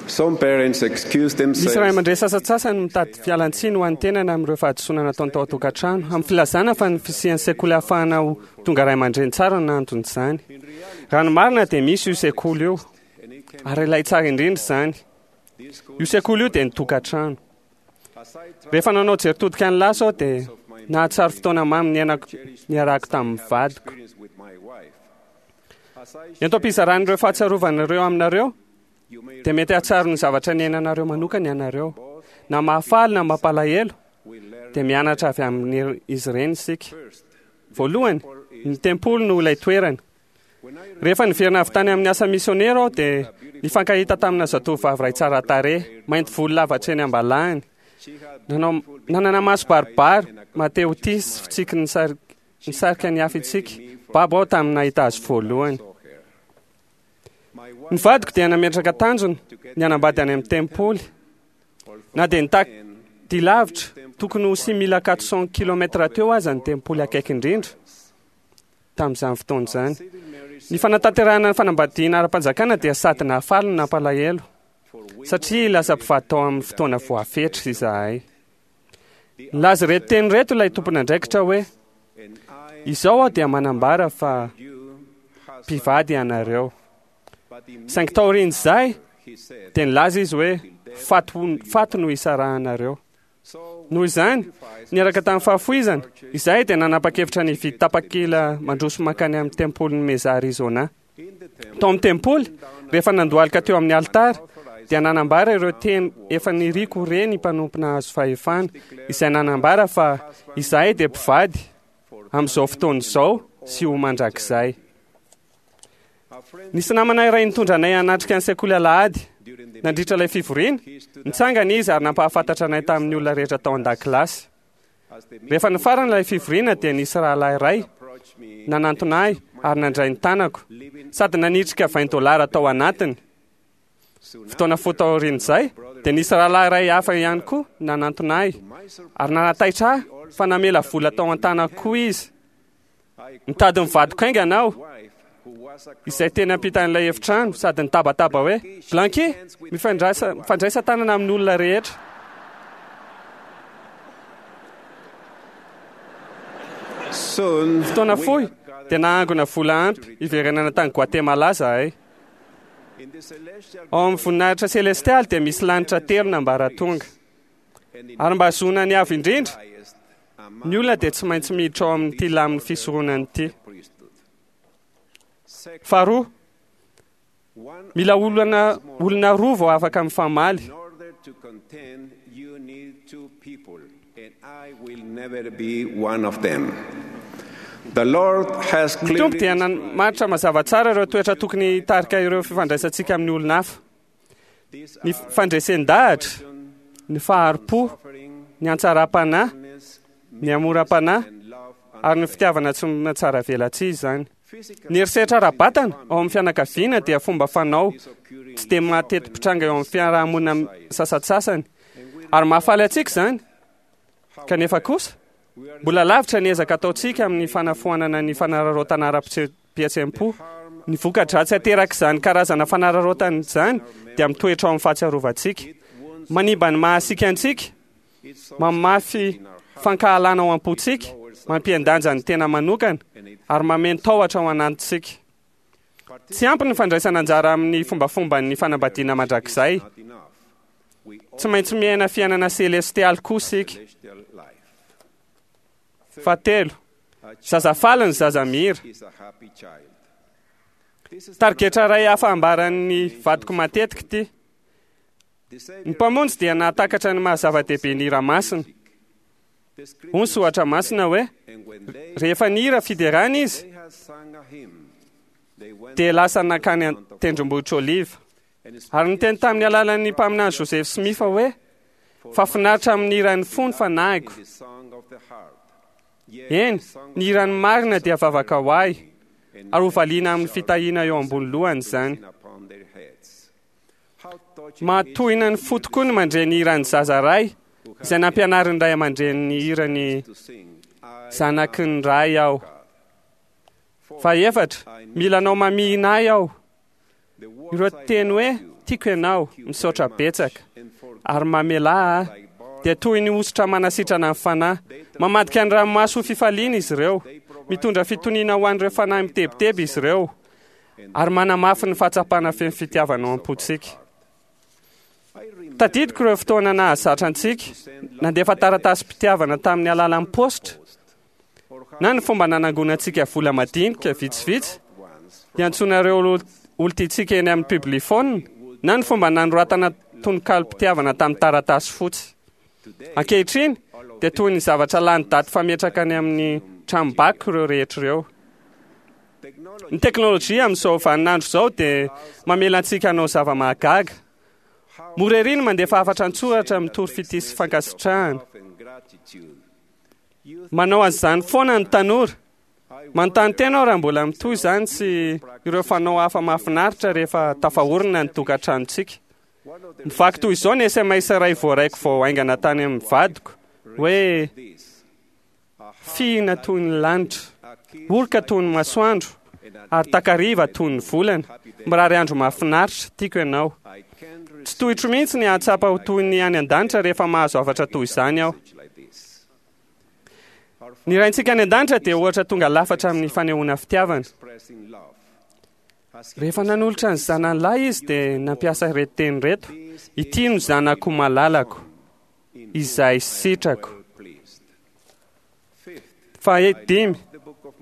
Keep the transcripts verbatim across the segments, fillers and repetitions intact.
Some parents excuse Misy themselves ray aman-dreny sasantsasany mitady fialantsiny ho an'ny tenany amin'ireo fahadisoana nataony tao an-tokantrano, amin'ny filazana fa ny fisian'ny sekoly ahafahana ho tonga ray aman-dreny tsara no anton'izany. Raha ny marina dia misy io sekoly io, ary ilay tsara indrindra izany. Io sekoly io dia ny tokantrano. Rehefa nanao jery todika ny lasa aho dia nahatsiaro fotoana mamy niainako niarahako tamin'ny vadiko. Ento am-pizaran'ireo fahatsiarovana ireo aminareo, dia mety hahatsiaro ny zavatra niainanareo manokana ianareo. Na mahafaly na mampalahelo, dia mianatra avy amin'izy ireny isika. Voalohany, ny tempoly no ilay toerana. Rehefa niverina avy tany amin'ny asa misionera aho dia nifankahita tamina zatovovavy iray tsara tarehy, mainty volo lava hatreny am-balahany. Nanao nanana maso baribary, mahatehotia sy fitsiky nisar- nisarika ny hafa itsika. Babo aho tamin'ny nahita azy voalohany. Ny vadiko dia nametraka tanjona ny hanambady any amin'ny tempoly. Na dia nitaky dia lavitra, tokony ho six mille quatre cents kilomètres teo aza ny tempoly akaiky indrindra tamin'izany fotoana izany. Ny fanatanterahana ny fanambadiana ara-panjakana dia sady nahafaly no nampalahelo, satria lasa mpivady tao amin'ny fotoana voafetra izahay. Nilaza ireto teny ireto ilay tompon'andraikitra hoe: izao aho dia manambara fa mpivady ianareo. Saingy taorian'izay dia nilaza izy hoe faty faty no isarahanareo. Noho izany, niaraka tamin'ny fahafoizana, izahay dia nanapa-kevitra ny hividy tapakila mandroso mankany amin'ny tempolin'i Mesa Arizona. Tao amin'ny tempoly, rehefa nandohalika teo amin'ny alitara, dia nanambara ireo teny efa niriko re ny mpanompo nahazo fahefana, izay nanambara fa izahay dia mpivady amin'izao fotoana izao sy ho mandrakizay. Nisy namana iray nitondra anay hanatrika ny sekoly alahady. Nandritra ilay fivoriana, nitsangana izy ary nampahafantatra anay tamin'ny olona rehetra tao an-dakilasy. Rehefa nifarana ilay fivoriana dia nisy rahalahy iray nanantona ahy ary nandray ny tanako, sady nanitrika vingt dollars tao anatiny. Fotoana fohy taorian'izay dia nisy rahalahy iray hafa ihany koa nanantona ahy ary nanataitra ahy fa namela vola tao an-tanako koa izy. Mitady ny vadiko haingana aho, izay teny ampitan'ilay efitrano, sady nitabataba hoe: Blanqui, mifandraisa, mifandraisa tanana amin'ny olona rehetra. Soon, Fotoana fohy dia nahangona vola ampy hiverenana tany Guatemala zahay. Ao amin'ny voninahitra selestialy dia misy lanitra telo nambaratonga. Ary mba hahazoana ny avo indrindra, ny olona dia tsy maintsy miditra ao amin'ity lamin'ny fisoronana ity. Faharoa, mila olona, olona roa vao afaka mifamaly. In order to contend, you need two people, and I will never be one of them. The Lord has Ny Tompo clearly dia namaritra mazava tsara ireo toetra tokony hitarika ireo fifandraisantsika amin'ny olona hafa. Ny fandresen-dahatra, ny fahari-po, ny antsaram-panahy, ny hamoram-panahy ary ny fitiavana tsy mahatsara velatsihy izany. Ny herisetra ara-batana ao amin'ny fianakaviana dia fomba fanao tsy dia mateti-pitranga eo amin'ny fiarahamonina sasantsasany, ary mahafaly antsika izany. Kanefa kosa, mbola lavitra ny ezaka ataontsika amin'ny fanafoanana ny fanararaotana ara-pihetseham-po. Ny voka-dratsy aterak'izany karazana fanararaotana izany dia mitoetra ao amin'ny fahatsiarovantsika. Manimba ny mahasika antsika, mamafy fankahalana ao am-pontsika, mampihen-danja ny tena manokana ary mameno tahotra ao anatintsika. Tsy ampy ny fandraisana anjara amin'ny fombafomban'ny fanambadiana mandrakizay. Tsy maintsy miaina fiainana selestialy koa isika. Fahatelo, zaza faly ny zaza mihira. is a happy child. Tarigetra iray hafa ambaran'ny vadiko matetika ity. Ny Mpamonjy dia nahatakatra ny maha zava-dehibe ny hira masina. Hoy ny soratra masina hoe: rehefa nihira fiderana izy, They sang a hymn. They went dia lasa nankany an-tendrombohitra Oliva. Ary niteny tamin'ny alalan'ny mpaminany Joseph Smith hoe: fa finaritra amin'ny hiran'ny fo ny fanahiko. the song of the heart. Eny, ny hiran'ny marina dia vavaka ho ahy, ary ho valiana amin'ny fitahiana eo ambony lohany izany. Upon their heads. How touching Mahatohina ny fo tokoa ny mandre ny hiran'ny zaza iray, izay nampianarin'ny ray aman-dreniny ny hirany to sing. I zanaky ny ray aho. Fahaefatra, mila anao mamihina ahy aho. the words Ireo I teny hoe Tiako ianao, misaotra betsaka, ary mamelà ahy, dia toy ny hosotra manasitrana ny fanahy. Mamadika ny ranomaso ho fifaliana izy ireo, mitondra fitoniana ho an'ireo fanahy mitebiteby izy ireo, ary manamafy ny fahatsapana feno fitiavana ao am-pontsika. Tadidiko ireo fotoana nahazatra antsika, nandefa taratasim-pitiavana tamin'ny alalan'ny paositra, na ny fomba nanangonantsika vola madinika vitsivitsy, hiantsoana ireo olon-tiantsika eny amin'ny publiphone, na ny fomba nanoratana tononkalom-pitiavana tamin'ny taratasy fotsy. Ankehitriny dia toy ny zavatra lany daty fametraka any amin'ny tranom-bako ireo rehetra ireo. Ny teknôlôjia amin'izao vaninandro izao dia mamela antsika hanao zava-mahagaga. Mora ery ny mandefa hafatra an-tsoratra mitory fitia sy fankasitrahana. Manao an'izany foana ny tanora. Manontany tena aho raha mbola mitohy izany sy ireo fanao hafa mahafinaritra rehefa tafaorina ny tokantranontsika. Mivaky toy izao ny S M S iray voaraiko vao haingana tany amin'ny vadiko hoe: fihina toy ny lanitra, oroka toy ny masoandro, ary takariva toy ny volana. Mirary andro mahafinaritra, tiako ianao. Tsy tohitro mihitsy ny hahatsapa ho toy ny any an-danitra rehefa mahazo hafatra toy izany aho. Ny Raintsika any an-danitra dia ohatra tonga lafatra amin'ny fanehoana fitiavana. Rehefa nanolotra ny zanany lahy izy dia nampiasa ireto teny ireto: ity no zanako malalako, izay sitrako. Fahadimy,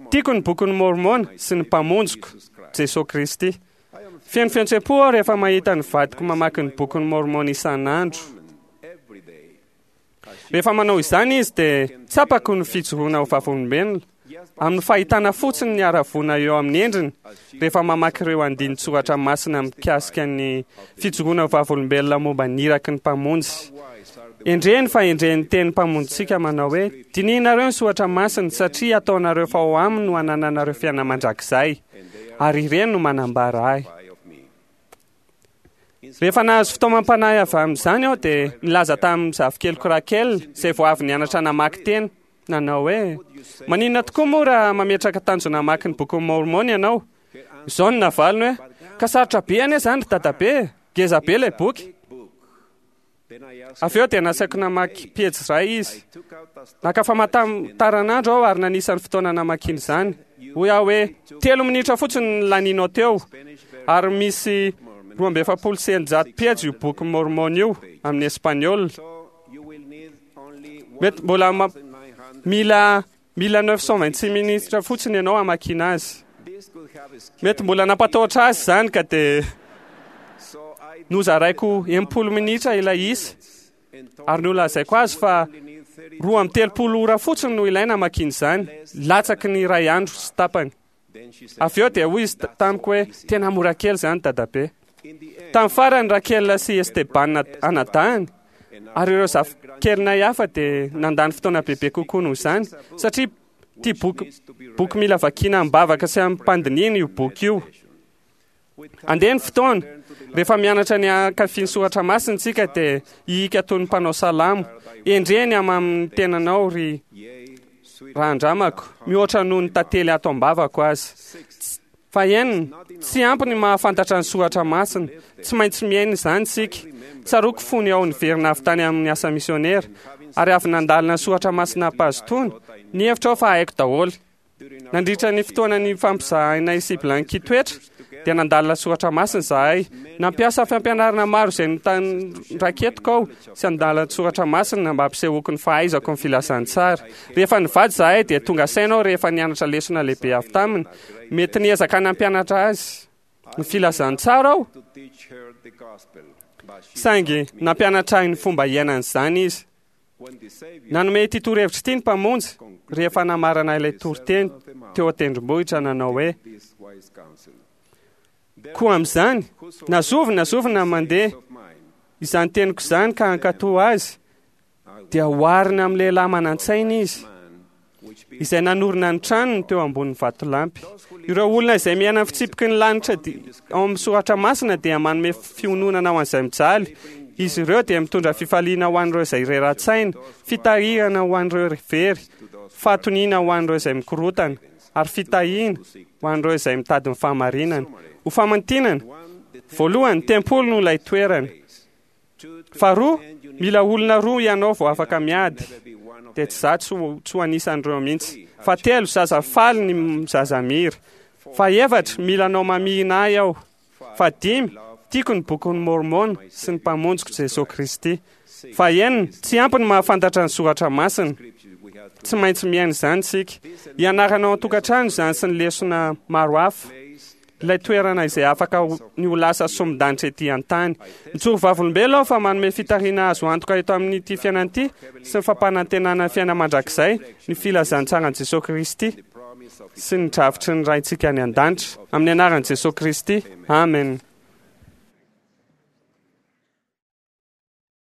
tiako ny bokin'ny Môrmôna sy ny Mpamonjiko, Jesosy Kristy. Feno fihetseham-po aho rehefa mahita ny vadiko mamaky ny bokin'ny Môrmôna isan'andro. Rehefa manao izany izy dia tsapako ny fijoroana ho vavolombelona amin'ny fahitana fotsiny ny haravoana eo amin'ny endriny rehefa mamaky ireo andinin-tsoratra masina mikasika ny fijoroana ho vavolombelona momba ny iraky ny Mpamonjy. Endreny fa endreny teny Mpamonjintsika manao hoe: dinihinareo ny soratra masina satria ataonareo fa ao aminy no anananareo fiainana mandrakizay, ary ireny no manambara ahy. Rehefa nahazo fitaomam-panahy avy amin'izany aho dia nilaza tamin'ny zafikeliko Raquel, izay vao avy nianatra namaky teny, nanao hoe: maninona tokoa moa raha mametraka tanjona hamaky ny bokin'ny Môrmôna ianao? Izao no navaliny hoe: ka sarotra be anie izany ry dadabe, ngeza be ilay boky. Avy eo dia nasaiko namaky pejy iray izy. Naka famantaranandro aho ary nanisa ny fotoana namakiana izany. Hoy aho hoe: telo minitra fotsiny ny laninao teo, ary misy roa amby efapolo sy eninjato pejy io boky Môrmôna io amin'ny espaniola. Mety mbola ma-, mila, mila neuf cent vingt-six minitra fotsiny ianao hamakiana azy. Mety mbola nampatahotra azy izany ka dia nozaraiko enimpolo minitra ilay isa, ary nolazaiko azy fa roa amby telopolo ora fotsiny no ilaina hamakiana izany, latsaky ny iray andro sy tapany. Avy eo dia hoy izy tamiko hoe: tena mora kely izany dadabe. Tamin'ny farany Raquel sy Esteban anadahiny ary ireo zafikelinay hafa dia nandany fotoana bebe kokoa noho izany, satria ity boky, boky mila vakiana am-bavaka sy am-pandinihina io boky io. Andeha ny fotoana, rehefa mianatra ny hankafy ny soratra masina isika dia hihika toy ny mpanao salamo: endreny amin'ny tenanao ry rahandramako, mihoatra noho ny tantely ato am-bavako azy. Fa enina, tsy ampy ny mahafantatra ny soratra masina, tsy maintsy miaina izany isika. Tsaroako fony aho niverina avy tany amin'ny asa misionera, ary avy nandalina ny soratra masina am-pahazotoana, nihevitra aho fa haiko daholo. Nandritra ny fotoana ny fampizahanay sy Blanqui toetra, dia nandalina soratra masina izahay. Nampiasa fampianarana maro izay notan-draketiko aho sy handalina soratra masina mba hampisehoako ny fahaizako ny filazantsara. Rehefa nivady izahay dia tonga saina aho rehefa nianatra lesona lehibe avy taminy. Mety niezaka nampianatra azy ny filazantsara aho, saingy nampianatra ahy ny fomba hiainan'izany izy. Nanome ity torohevitra ity ny Mpamonjy rehefa namarana ilay toriteny teo an-tendrombohitra nanao hoe: koa amin'izany, na zovy na zovy na mandeha izany teniko izany ka hankatò azy, dia oharina amin'ny lehilahy manan-tsaina izy, izay nanorina ny tranony teo ambonin'ny vatolampy. Ireo olona izay miaina ny fitsipiky ny lanitra di-, ao amin'ny soratra masina dia manome fiononana ho an'izay mijaly. Izy ireo dia mitondra fifaliana ho an'ireo izay rera-tsaina, fitahirana ho an'ireo very, fahatoniana ho an'ireo izay mikorotana, ary fitahiana ho an'ireo izay mitady ny fahamarinana. Ho famantinana, Voalohany, tempoly no ilay toerana. Faharoa, mila olona roa ianao vao afaka miady, dia tsy za tsy ho anisan'ireo mihitsy. Fahatelo, zaza faly ny zaza mihira. Fahefatra, mila anao mamihina ahy aho. Fahadimy, tiako ny bokin'ny Mormona sy ny mpamonjiko Jesosy Kristy. Fahenina, tsy ampy ny mahafantatra ny soratra masina, tsy maintsy miaina izany isika. Ianaranao an-tokantrano izany sy ny lesona maro hafa, ilay toerana izay afaka ny ho lasa somondanitra ety an-tany. Mijoro vavolombelona aho fa manome fitariana azo antoka eto amin'ity fiainana ity sy ny fampanantenana ny fiainana mandrakizay ny filazantsaran'i Jesosy Kristy sy ny drafitry ny Raintsika any an-danitra. Amin'ny anaran'i Jesosy Kristy, amen.